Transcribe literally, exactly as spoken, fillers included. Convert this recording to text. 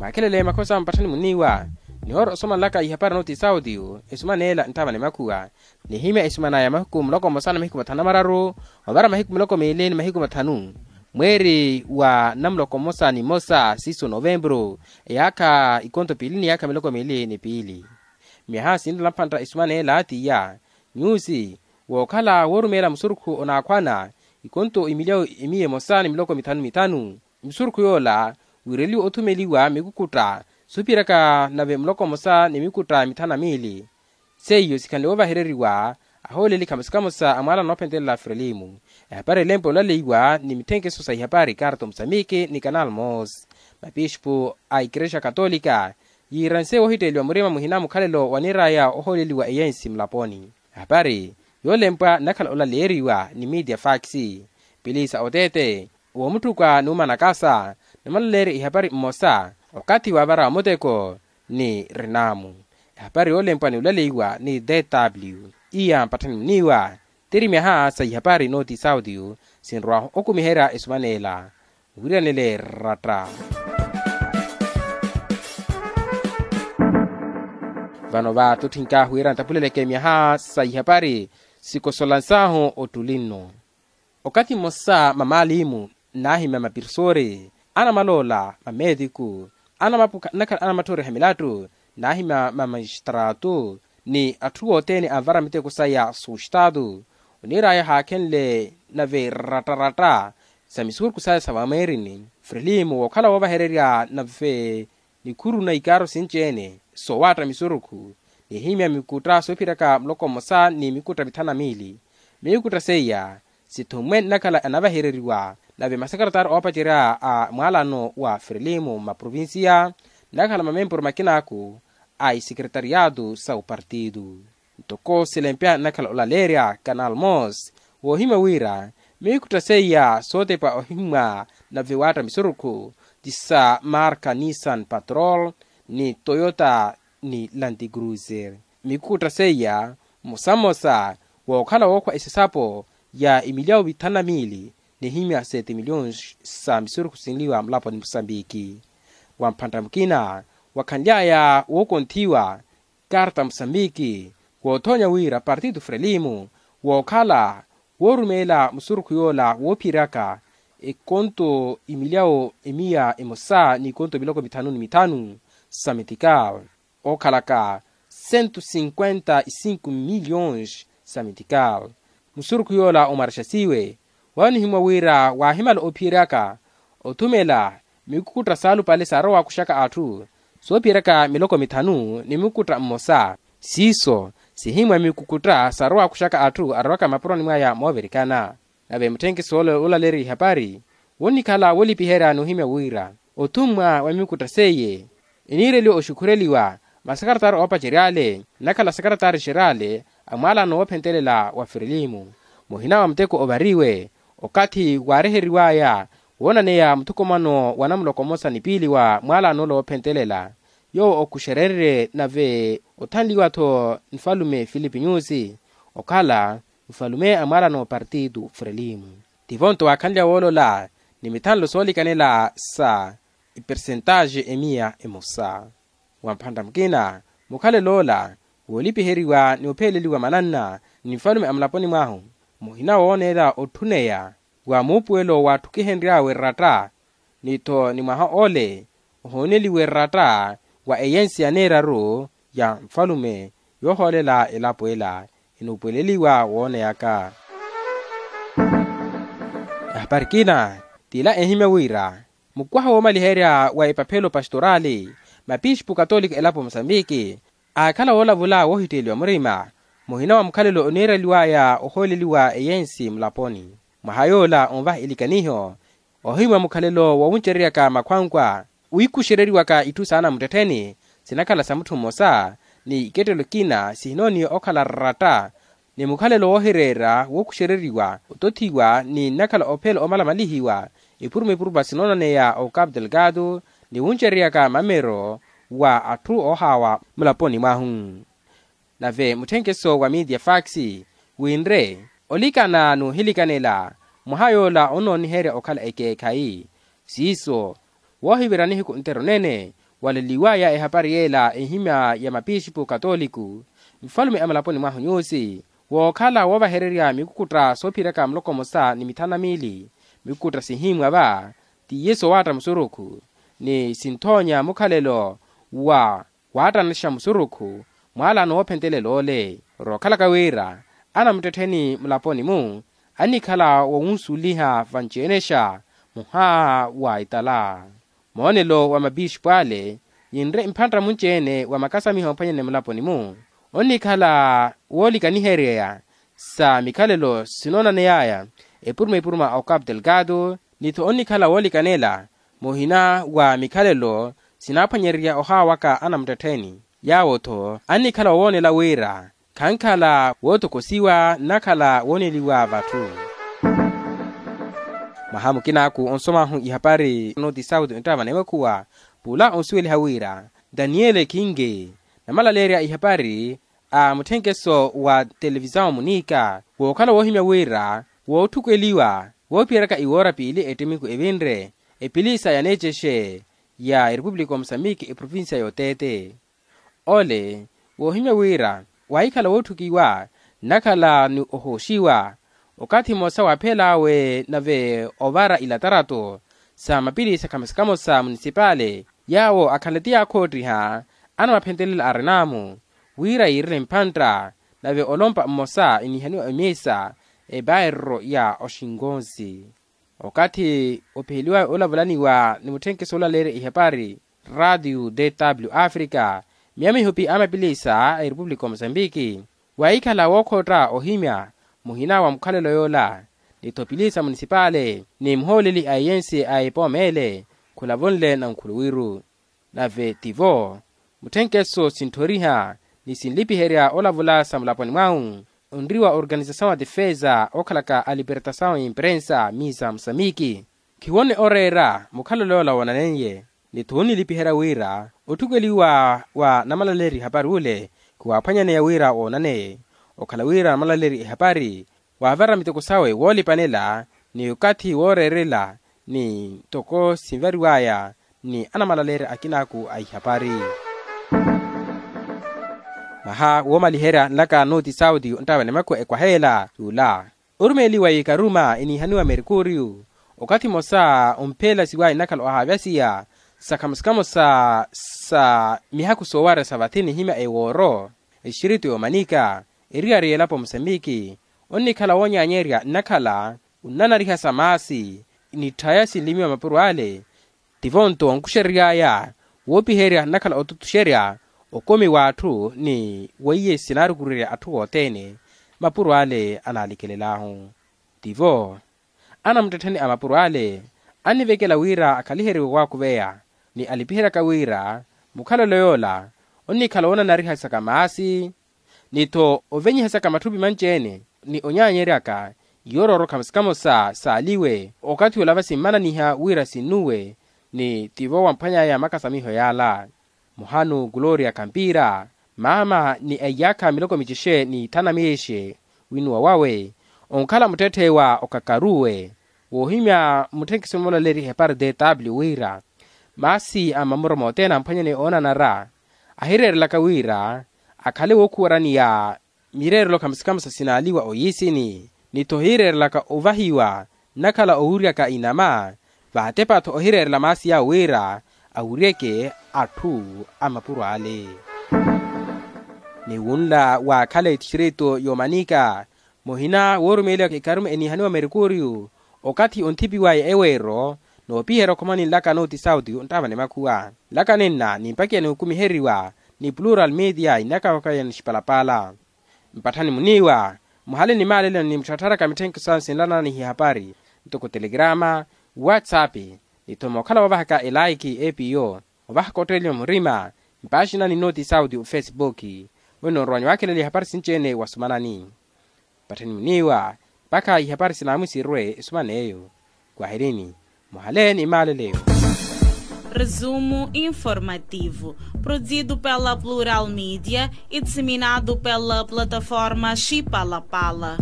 Akhelele makhosa mpatthani muniiwa nihoora osomanlaka ihapari nooti sauti. Esumaneela nttava ni makhuwa nihimya esumanaya mahiku muloko mmosa ni mahiku mathanu na mararu ovara mahiku miloko miili ni mahiku mathanu mweeri wa namuloko mmosa ni mmosa siiso novempuru eyaakha ikonto piili ni yaakha miloko miili ni piili. Myaha sinttala mphantta esumaneela tiya nyuusi wookhala woorumeela musurukhu onaakhwana ikonto imilyawu emiya emosa ni miloko mithanu mithanu. Misurukhu yoola wiireliwe othumeliwa mikukutta soophiraka nave muloko mmosa ni mikukutta mithanu na miili. Seiyo sikhanle woovahereriwa ahooleli khamosa khamosa a mwaalano noophentelela frelimu. Ehapari elempo olaleiwa ni mitthenkhiso sa ihapari karto musamiki ni kanal mos. Mapispu a ikerexa katolika yiiranse woohitteeliwa murima muhina mukhalelo waniiraya ohooleliwa eyensi mulaponi. Ehapari yoolempwa nnakhala olaleeriwa ni media fax. Pilisa oteete woomutthuka n'umanakasa nimulaleerya ihapari mmosa okathi waavara muteko ni rinamu. Ehapari yoolempwa ni olaleiwa ni dw iya mpatthani muniiwa tiri myaha sa ihapari nooti sauti sinrwahu okumiherya esumaneela. Wiiranele ratta vano vaattotthinkaahu wira ntapuleleke myaha sa ihapari sikosolansaahu ottuli nno. Okathi mmosa mamaalimu nnaahimya mapirsori anamaloola mameetiku anamapuka nnakhala anamatthoriha milattu nnaahimya mamajistraatu ni atthu othene anvara miteko saya sustaatu oniiraya haakhenle nave rattaratta sa misurukhu saya sa vamweerini frelimu wookhala woovahererya nave nikhuru na ikaaro sinci-ene soowaatta misurukhu nihimya mikutta soophiraka muloko mmosa ni mikutta mithanu na miili. Mikutta seiya sithummwe nnakhala anavahereriwa nave masakaratari oopacerya a mwaalano wa frelimu mmaprovinsiya nnakhala mamempuru makinaaku a isekeretariyatu sa opartitu. Ntoko silempya nnakhala olaleerya kanal mos woohimya wira mikutta seiya sootepa ohimmwa nave waatta misurukhu ti sa marka nissan patrol ni toyota ni lanti cruiser. Mikutta seiya mmosa mmosa wookhala wookhwa esesapo ya imilyawo mithanu na miili nihimya sete miliyons sa misurukhu sinliwa mulaponi musambiki. Wa mphantta mukina wakhanly'aya wookonthiwa karta musambiki woothoonya wira partitu frelimu wookhala woorumeela musurukhu yoola woophiryaka ekonto imilyawo emiya emosa n'ikonto miloko mithanu ni mithanu sa metikal ookhalaka sentu sinkwenta isinku miliyons sa metikal. Musurukhu yoola omwarexasiwe waanihimwa wira waahimala ophiyeryaka othumela mikukutta saalupale saarowakuxaka atthu soophiyeryaka miloko mithanu ni mukutta mmosa siiso sihimwa mikukutta saarowakuxaka atthu arowaka mapuroni mwaya moovirikana. Nave mutthenkiso ole olaleeriwa ihapari wonnikhala woolipiherya n'uhimya wira othummwa wa mikutta seiye eniireliwa oxukhureliwa masakaratari oopacery'ale nnakhala sakaratari xer'ale a mwaalano woophentelela wa frelimu muhina wa muteko ovariwe okathi waariheriw'aya woonaneya muthukumano wa namuloko mmosa ni piili wa mwaalano ole woophentelela yoowo okuxerenrye nave othanliwa-tho nfalume filipi nyusi okhala nfalume a mwaalano partitu frelimu. Tivo-nto waakhanlya woolola ni mithanlo soolikanela sa ipersentaxe emiya emosa. Wa mphantta mukina mukhalelo ola woolipiheriwa ni opheleliwa mananna ni nfalume a mulaponi mwahu muhina wooneela otthuneya wa muupuwelo waatthukihenry'awe ratta ni-tho ni mwaha ole ohooneliwe ratta wa eyensi ya neeraru ya nfalume yoohoolela elapo ela enuupuweleliwa wooneyaka. Ehapari kina t'ila ehimya wira mukwaha woomaliherya wa epaphelo pastorali mapispu katolika elapo musambiki aakhala woolavula woohitteeliwa murima muhina wa mukhalelo oniireliw'aya ohooleliwa eyensi mulaponi. Mwaha yoola onvaha ilikaniho ohimwa mukhalelo wowuncereryaka makhwankwa wiikuxereriwaka itthu saana muttettheni sinakhala sa mutthu mmosa ni ikettelo ekina sihinooniwa okhala ratta ni mukhalelo woohireera wookuxereriwa otothiwa ni nnakhala ophela omalamalihiwa epuruma epurupa sinoonaneya o capu delgado ni wuncereryaka mamero wa atthu oohaawa mulaponi mwahu. Nave mutthenkeso wa media fax winre olikana n'uhilikanela mwaha yoola onooniherya okhala ekeekhayi siiso woohivira nihiku ntero nene waleliwaya ehapari yela ehimya ya mapixipu katoliku, nfalume a mulaponi mwahu nyusi wookhala woovahererya mikukutta soophiyeryaka muloko mmosa ni mithanu na miili. Mikukutta sihimwa va tiye soowaatta musurukhu ni sinthoonya mukhalelo wa waattanaxa musurukhu mwaalaano woophentelela-ole. Rookhalaka wira anamuttettheni mulaponi-mu annikhala wowunsuliha vanci-enexa muhaaha wa itala. Moonelo wa mapixipu ale yinre mphantta munci-ene wa makasamiho ophwanyane mulaponi-mu onnikhala woolikaniheryeya sa mikhalelo sinoonaneyaya epuruma epuruma a ocapu delgado ni-tho onnikhala woolikanela muhina wa mikhalelo sinaaphwanyererya ohaawaka anamuttettheni. Yaawo-tho annikhala wowoonela wira khankhala wootokosiwa nnakhala wooneliwa vatthu. Mwaha mukinaaku onsomahu ihapari noti sauti onttava nemekhuwa pula onsuweliha wira daniele kinge namalaleerya ihapari a mutthenkeso wa televisawu munika wookhala woohimya wira wootthukeliwa woophiyeraka iwoora piili ettimiku evinre epilisa ya neecexe ya erepupulika omusamiki eprovincia y'oteete. Ole woohimya wira waahikhala wootthukiwa nnakhala ni ohooxiwa okathi mmosa waaphel'awe nave ovara ilatarato sa mapilisa khamosa khamosa munisipale yaawo akhanle ti yaakhoottiha anamaphentelela arinaamu wira yiirele mphantta nave olompa mmosa eniihaniwa emiisa epaerro ya oxinkonsi. Okathi opiheliwaya olavulaniwa ni mutthenkeso olaleerya ihapari radio dw africa miya mihupi a mapilisa a erepupulika omusambiki waahikhala wookhootta ohimya muhina wa mukhalelo yoola ni-tho pilisa munisipale ni muhooleli a eyensi a epooma ele khulavunle na nkhuluwiru. Nave tivo mutthenkeso sintthoriha ni sinlipiherya olavula sa mulaponi mwahu onriwa organisasawu a defesa ookhalaka a libertasawu ya imprensa misa musamiki khiwonne oreera mukhalelo yoola woonaneiye. Ni-tho onnilipiherya wira otthukeliwa wa namalaleerya ihapari ule khiwaaphwanyaneya wira woonaneye okhala wira namalaleerya ihapari waavara miteko sawe woolipanela ni okathi wooreerela ni ntoko sinvariwaya ni anamalaleerya akinaaku a ihapari. Mwaha woomaliherya nlaka noti sauti onttaava ni makhuwa ekwaha ela yula orumeeliwa ikaruma eniihaniwa merkuriyu okathi mmosa ompheelasiwaya nnakhala ohaavyasiya sa khamosa khamosa sa mihakhu soowarya sa vathi nihimya ewooro exirito yoomanika eriyari y'elapo musambiki onnikhala woonyaanyerya nnakhala onnanariha sa maasi ni tthaya sinlimiwa mapuro ale tivo-nto onkuxereryaya woopiherya nnakhala otutuxerya okomi w'atthu ni weiye sinaarukurerya atthu othene mapuro ale anaalikelel'ahu. Tivo anamuttettheni a mapuro ale annivekela wira akhaliheryiwe waakuveya ni alipiheryaka wira mukhalelo yoola onnikhala woonanariha saka maasi ni-tho ovenyihasaka matthupi manci-ene ni onyaanyeryaka iyororo khamosa khamosa saaliwe okathi ola vasimmananiha wira sinnuwe ni tivo wamphwanyaya makasamiho yaala. Muhanu gloria kampira maama ni a iyaakha miloko micexe ni thanu na micexe winnuwa wawe onkhala muttetthe wa okakaruwe woohimya mutthenkiso moolaleerya ihepari dw wira maasi a mamuro mothene amphwanyane oonanara ahireerelaka wira akhale wookhuwaraniya mireerelo khamosa khamosa sinaaliwa oyiisini ni-tho ohireerelaka ovahiwa nnakhala owuryaka inama vaatepa-tho ohireerela maasi yawe wira awuryeke atthu a mapuro ale. Ni wunla waakhala etistrito yoomanika muhina woorumeeliwa ikarume eniihaniwa merkuriyu okathi onthipiwaya eweero noopiherya okhomani nlaka noti sauti onttaava ni makhuwa nlaka nenna nimpakiya nihukumiheriwa ni plural media inakawakaya nixipalapala. Mpatthani muniiwa muhale ni maaleleno ni mutthattharaka mitthenkiso sinlananiha ihapari ntoko telegrama whatsapp ni-tho mookhala woovahaka elaiki epiyo ovahaka otteeliwa murima mpaaxinani noti sauti ofesipooki. Wino nrowanyu waakheleliha ihapari sinci-ene wasumanani mpatthani muniiwa mpakha ihapari sinaamwi sirwe esuman'eyo. Kwahirini muhale ni maaleleyo. Resumo informativo, produzido pela plural media e disseminado pela plataforma xipalapala.